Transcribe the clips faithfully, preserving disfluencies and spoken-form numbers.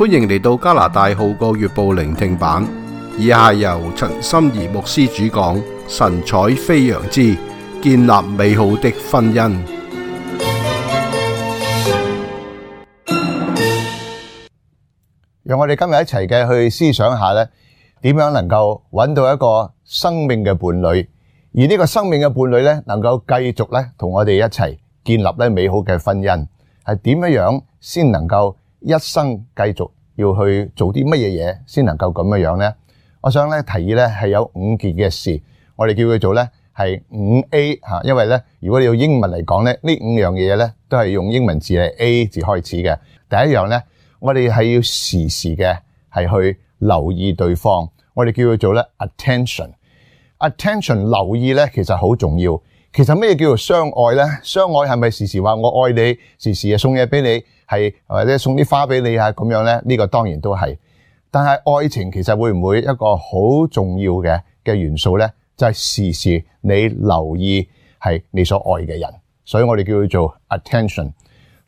歡迎嚟到加拿大《號角月報》聆聽版，以下由陳心怡牧師主講，神采飛揚之建立美好的婚姻。讓我哋今日一齊嘅去思想下咧，點樣能夠揾到一個生命嘅伴侶，而呢個生命嘅伴侶咧，能夠繼續咧同我哋一齊建立咧美好嘅婚姻，係點樣樣先能夠一生繼續要去做啲乜嘢嘢，先能夠咁樣樣咧？我想咧提議咧係有五件嘅事，我哋叫佢做咧係五 A 吓，因為咧如果你用英文嚟講咧，呢五樣嘢咧都係用英文字係 A 字開始嘅。第一樣咧，我哋係要時時嘅係去留意對方，我哋叫佢做咧 attention。attention 留意咧其實好重要。其實咩叫做相愛咧？相愛係咪時時話我愛你，時時送嘢俾你，係或者送啲花俾你啊咁樣咧？呢個當然都係。但係愛情其實會唔會一個好重要嘅嘅元素咧？就係時時你留意係你所愛嘅人，所以我哋叫佢做 attention。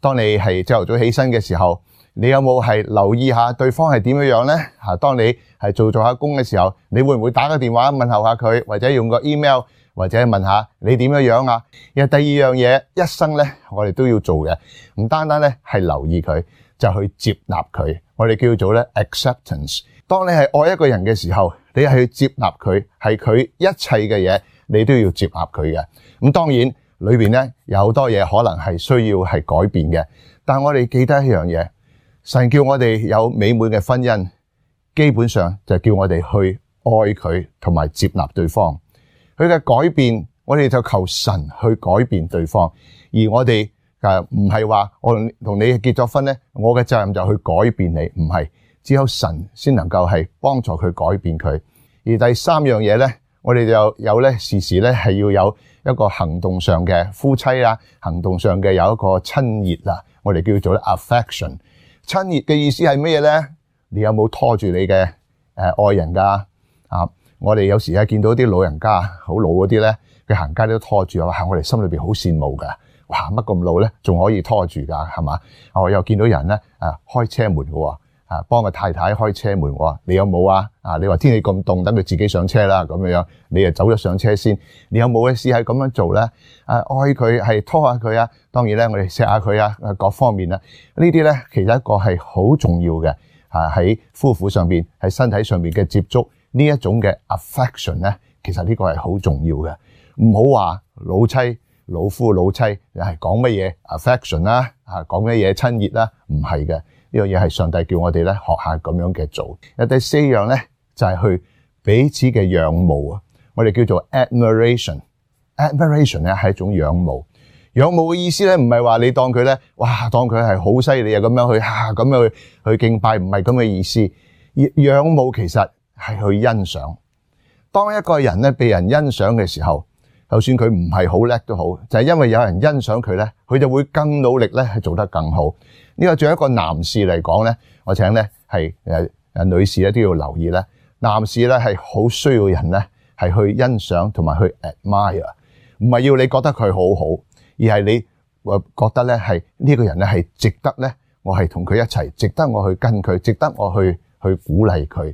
當你係朝頭早起身嘅時候，你有冇係留意下對方係點樣樣咧？吓，當你係做做下工嘅時候，你會唔會打個電話問候下佢，或者用個 email，或者問下你點樣樣啊？然後第二樣嘢，一生咧我哋都要做嘅，唔單單咧係留意佢，就去接納佢。我哋叫做咧 acceptance。當你係愛一個人嘅時候，你係去接納佢，係佢一切嘅嘢，你都要接納佢嘅。咁當然裏邊咧有好多嘢可能係需要係改變嘅，但我哋記得一樣嘢，神叫我哋有美滿嘅婚姻，基本上就叫我哋去愛佢同埋接納對方。佢嘅改變，我哋就求神去改變對方，而我哋誒唔係話我同你結咗婚咧，我嘅責任就去改變你，唔係，只有神先能夠係幫助佢改變佢。而第三樣嘢咧，我哋就有咧時時咧係要有一個行動上嘅夫妻啊，行動上嘅有一個親熱啊，我哋叫做咧 affection。親熱嘅意思係咩嘢咧？你有冇拖住你嘅誒愛人噶啊？我哋有時係見到啲老人家好老嗰啲咧，佢行街都拖住，哇！我哋心裏邊好羨慕噶，哇！乜咁老咧，仲可以拖住噶，係嘛？我又見到人咧，誒，開車門嘅，啊，幫個太太開車門，我話你有冇啊？啊，你話天氣咁凍，等佢自己上車啦，咁樣樣，你就走咗上車先。你有冇嘅試係咁樣做咧？誒，愛佢係拖下佢啊，當然咧，我哋錫下佢啊，各方面啊，呢啲咧其實一個係好重要嘅，啊喺夫婦上邊，喺身體上邊嘅接觸。呢一種嘅 affection 咧，其實呢個係好重要嘅。唔好話老妻、老夫、老妻係講乜嘢 affection 啦，啊講乜嘢親熱啦，唔係嘅。呢樣嘢係上帝叫我哋咧學下咁樣嘅做。有第四樣咧就係去彼此嘅仰慕啊，我哋叫做 admiration。admiration 咧係一種仰慕。仰慕嘅意思咧唔係話你當佢咧，哇當佢係好犀利啊咁樣去啊咁樣去去敬拜，唔係咁嘅意思。仰慕其實係去欣賞。當一個人咧被人欣賞嘅時候，就算佢唔係好叻都好，就係因為有人欣賞佢咧，佢就會更努力咧去做得更好。呢個作為一個男士嚟講咧，我請咧係誒誒女士咧都要留意咧，男士咧係好需要人咧係去欣賞同埋去 admire， 唔係要你覺得佢好好，而係你誒覺得咧係呢個人咧係值得咧，我係同佢一齊，值得我去跟佢，值得我去去鼓勵佢。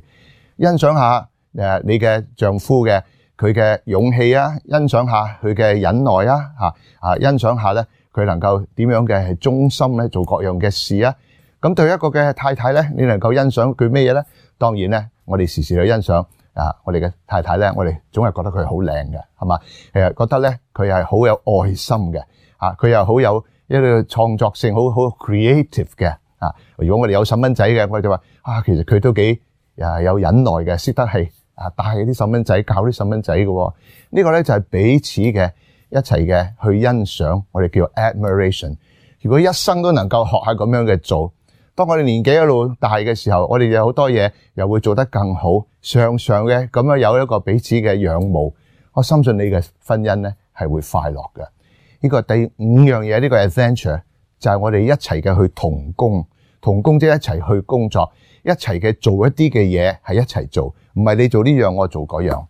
欣賞下誒你嘅丈夫嘅佢嘅勇氣啊，欣賞下佢嘅忍耐啊，嚇啊欣賞下咧佢能夠點樣嘅係忠心咧做各樣嘅事啊。咁對一個嘅太太咧，你能夠欣賞佢咩嘢咧？當然咧，我哋時時去欣賞啊，我哋嘅太太咧，我哋總係覺得佢好靚嘅，係嘛？誒覺得咧佢係好有愛心嘅，啊佢又好有一個創作性，好好 creative 嘅啊。如果我哋有細蚊仔嘅，我哋就話啊，其實佢都幾啊有忍耐嘅，識得係啊帶啲細蚊仔，教啲細蚊仔嘅。呢個咧就係彼此嘅一齊嘅去欣賞，我哋叫 admiration。如果一生都能夠學下咁樣嘅做，當我哋年紀一路大嘅時候，我哋有好多嘢又會做得更好，常常嘅咁樣有一個彼此嘅仰慕，我深信你嘅婚姻咧係會快樂嘅。呢個第五樣嘢，呢個 adventure 就係我哋一齊嘅去同工，同工即係一齊去工作。一齊嘅做一啲嘅嘢係一齊做，唔係你做呢樣我做嗰樣。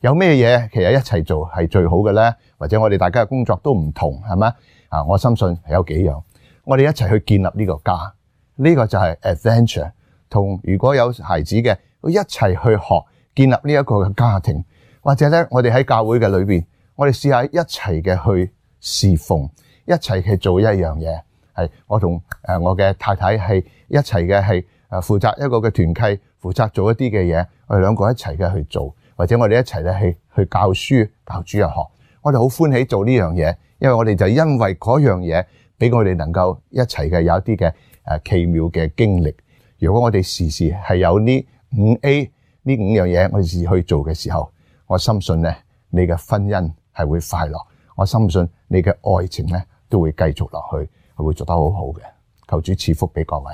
有咩嘢其實一齊做係最好嘅咧？或者我哋大家嘅工作都唔同，係咪啊？我深信係有幾樣，我哋一齊去建立呢個家，呢個就係 adventure。同如果有孩子嘅，一齊去學建立呢一個嘅家庭，或者咧我哋喺教會嘅裏邊，我哋試下一齊嘅去侍奉，一齊去做一樣嘢。係我同誒我嘅太太係一齊嘅，係誒負責一個嘅團契，負責做一啲嘅嘢，我哋兩個一齊嘅去做，或者我哋一齊咧去去教書教主日學，我哋好歡喜做呢樣嘢，因為我哋就因為嗰樣嘢俾我哋能夠一齊嘅有一啲嘅誒奇妙嘅經歷。如果我哋時時係有呢五 A 呢五樣嘢，我哋時時去做嘅時候，我深信咧你嘅婚姻係會快樂，我深信你嘅愛情咧都會繼續落去，係會做得好好嘅。求主賜福俾各位。